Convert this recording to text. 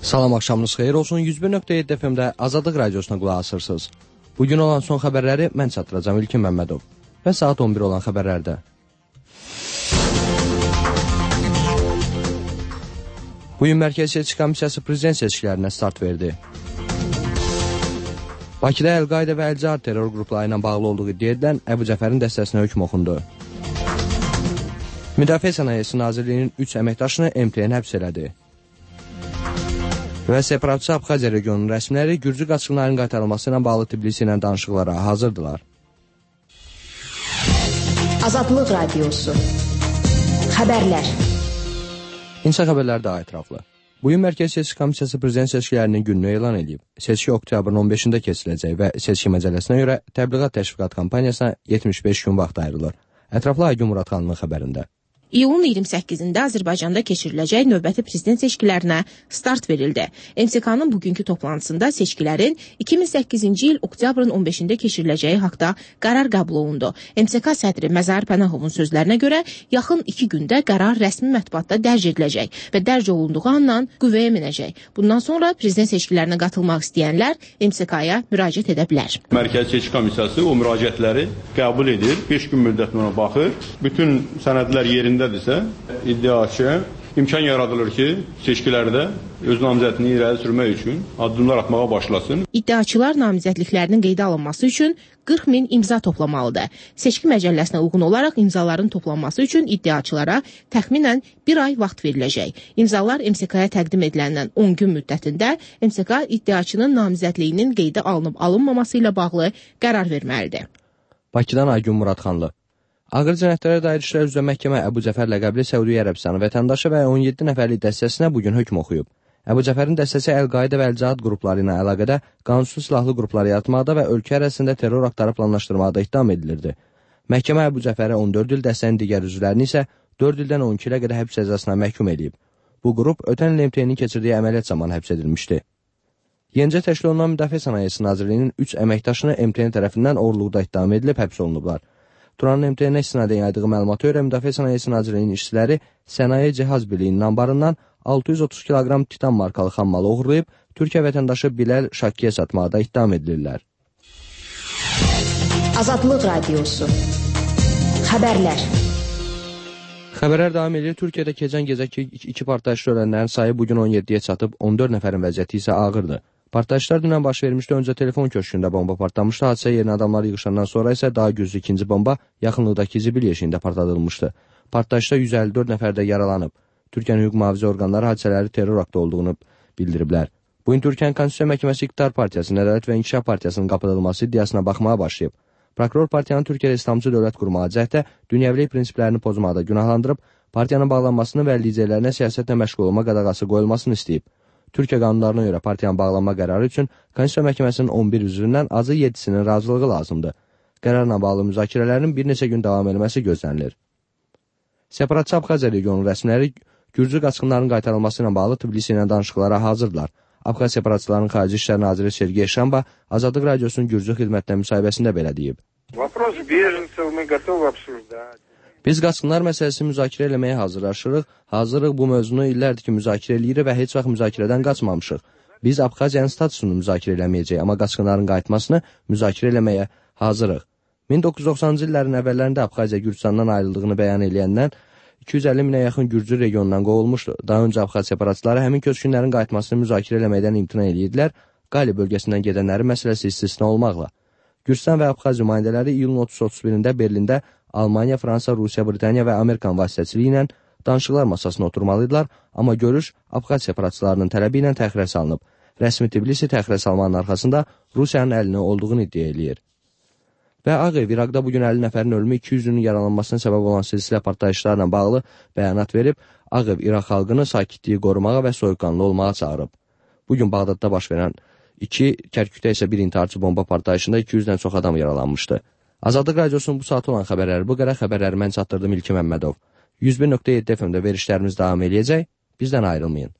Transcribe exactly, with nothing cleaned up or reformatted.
Salam, axşamınız xeyir olsun. yüz bir nöqtə yeddi F M-də Azadlıq Radiosuna qulaq asırsınız. Bugün olan son xəbərləri mən çatdıracağım İlkin Məmmədov və saat on bir olan xəbərlərdə. Bugün Mərkəzi Seçki Komissiyası prezident seçkilərinə start verdi. Bakıda Əl-Qaidə və Əl-Cihad terror qrupları ilə bağlı olduğu iddia edilən Əbu Cəfərin dəstəsinə hökm oxundu. Müdafiə Sənayesi Nazirliyinin üç əməkdaşını M T N həbs elədi. Və separatçı Abxaziya regionunun rəsmiləri Gürcü qaçqınların qaytarılması ilə bağlı Tbilisi ilə danışıqlara hazırdılar. Azadlıq Radiosu Xəbərlər. İnsan xəbərləri daha ətraflı. Bugün Mərkəzi Seçki Komissiyası prezident seçkilərinin gününü elan edib. Seçki oktyabrın on beşində keçiriləcək və seçki məcəlləsinə görə təbliğat təşviqat kampaniyasına yetmiş beş gün vaxt ayrılır. Ətraflı Aygün Muradxanlının xəbərində. İyulun iyirmi səkkizində Azərbaycanda keçiriləcək növbəti prezident seçkilərinə start verildi. M S K-nın bugünkü toplantısında seçkilərin iki min səkkizinci il oktyabrın on beşində keçiriləcəyi haqda qərar qəbul olundu. M S K sədri Məzahir Pənahovun sözlərinə görə yaxın iki gündə qərar rəsmi mətbuatda dərc ediləcək və dərc olunduğu andan qüvvəyə minəcək. Bundan sonra prezident seçkilərinə qatılmaq istəyənlər M S K-ya müraciət edə bilər. Mərkəzi Seçki Komissiyası o müraciətləri qəbul edir, beş gün müddətinə baxır, bütün sənədlər yerində dirsə, iddiaçıya imkan yaradılır ki, seçkilərdə öz namizədini irəli sürmək üçün addımlar atmağa başlasın. İddiaçılar namizədliklərinin qeydə alınması üçün qırx min imza toplamalıdır. Seçki məcəlləsinə uyğun olaraq imzaların toplanması üçün iddiaçılara təxminən bir ay vaxt veriləcək. İmzalar M S K-ya təqdim ediləndən on gün müddətində M S K iddiaçının namizədliyinin qeydə alınıb alınmaması ilə bağlı qərar verməlidir. Bakıdan Aygün Muradxanlı. Ağır cinayətlərə dair işlər üzrə məhkəmə Əbu Cəfər ləqəbli Səudiyyə Ərəbistanı vətəndaşı və on yeddi nəfərlik dəstəsinə bugün hökm oxuyub. Əbu Cəfərin dəstəsi Əl-Qaidə və Əl-Cihad qrupları ilə əlaqədə qanunsuz silahlı qrupları yaratmaqda və ölkə ərazisində terror aktları planlaşdırmaqda ittiham edilirdi. Məhkəmə Əbu Cəfərə on dörd il, dəstənin digər üzvlərini isə dörd ildən on iki ilə qədər həbs cəzasına məhkum edib. Bu qrup ötən il M T N-in keçirdiyi əməliyyat zamanı həbs edilmişdi. Yenicə təşkil olunan Müdafiə Sənayesi Nazirliyinin üç əməkdaşını M T N tərəfindən oğurluqda ittiham edilib həbs olunublar. Turanın M T N-ə istinadən yaydığı məlumata görə Müdafiə Sənayesi Nazirliyinin işçiləri Sənaye Cihaz Birliyinin anbarından altı yüz otuz kiloqram titan markalı xammalı oğurlayıb, Türkiyə vətəndaşı Bilal Şakkiyə satmaqda ittiham edilirlər. Azadlıq Radiosu Xəbərlər. Xəbərlər davam edir. Türkiyədə keçən gecə iki partlayışda ölənlərin sayı bugün on yeddiyə çatıb, on dörd nəfərin vəziyyəti isə ağırdır. Partlayışlar dünən baş vermişdi. Öncə telefon köşkündə bomba partlamışdı. Hadisə yerinə adamlar yığışandan sonra isə daha güclü ikinci bomba yaxınlıqdakı zibil yeşiyində partladılmışdı. Partlayışda yüz əlli dörd nəfər də yaralanıb. Türkiyənin hüquq mühafizə orqanları hadisələri terror aktı olduğunu bildiriblər. Bugün Türkiyənin Konstitusiya Məhkəməsi İqtidar Partiyasının, Ədalət və İnkişaf Partiyasının qapatılması iddiasına baxmağa başlayıb. Prokuror partiyanın Türkiyədə İslamcı dövlət qurmağa cəhətdə dünyəvilik prinsiplərini pozmaqda günahlandırıb, partiyanın bağlanmasını və liderlərinə siyasətlə məşğul olma qadağası qoyulmasını istəyib. Türkiyə qanunlarına görə partiyanın bağlanma qərarı üçün Konstitusiya Məhkəməsinin on bir üzvündən azı yeddisinin razılığı lazımdır. Qərarla bağlı müzakirələrin bir neçə gün davam etməsi gözlənilir. Separatçı Abxaziya regionunun rəsmiləri Gürcü qaçqınların qaytarılması ilə bağlı Tbilisi ilə danışıqlara hazırdılar. Abxaz separatçıların Xarici İşlər Naziri Sergey Şamba Azadlıq Radiosunun Gürcü xidmətinə müsahibəsində belə deyib. Biz qaçqınlar məsələsini müzakirə eləməyə hazırlaşırıq. Hazırıq bu mövzunu illərdir ki, müzakirə eləyirik və heç vaxt müzakirədən qaçmamışıq. Biz Abxaziyanın statusunu müzakirə eləməyəcəyik, amma qaçqınların qayıtmasını müzakirə eləməyə hazırıq. min doqquz yüz doxsanıncı illərin əvvəllərində Abxaziya Gürcüstandan ayrıldığını bəyan eləyəndən iki yüz əlli minə yaxın Gürcü regionundan qovulmuşdu. Daha öncə Abxaz separatçıları həmin köçkünlərin qayıtmasını müzakirə eləməkdən imtina edirdilər, Qali bölgəsindən gedənlərin məsələsi istisna olmaqla. Gürcüstan və Abxaz nümayəndələri iyulun otuz otuz birində Berlində Almaniya, Fransa, Rusiya, Britaniya və Amerikan vasitəçiliyi ilə danışıqlar masasına oturmalıdırlar, amma görüş Abxaz separatçılarının tələbi ilə təxirə salınıb. Rəsmi Tbilisi təxirə salmanın arxasında Rusiyanın əlini olduğunu iddia eləyir. Və Ağ Ev İraqda bugün əlli nəfərin ölümü, iki yüzünün yaralanmasına səbəb olan silsilə partlayışlarla bağlı bəyanat verib, Ağ Ev İraq xalqını sakitliyi qorumağa və soyuqqanlı olmağa çağırıb. Bugün Bağdadda baş verən iki, Kərkükdə isə bir intiharçı bomba partlayışında iki yüzdən çox adam yaralanmışdı. Azadlıq Radiosunun bu saat olan xəbərləri bu qədər. Xəbərləri mən çatdırdım İlkin Məmmədov. yüz bir nöqtə yeddi F M-də verişlərimiz davam eləyəcək. Bizdən ayrılmayın.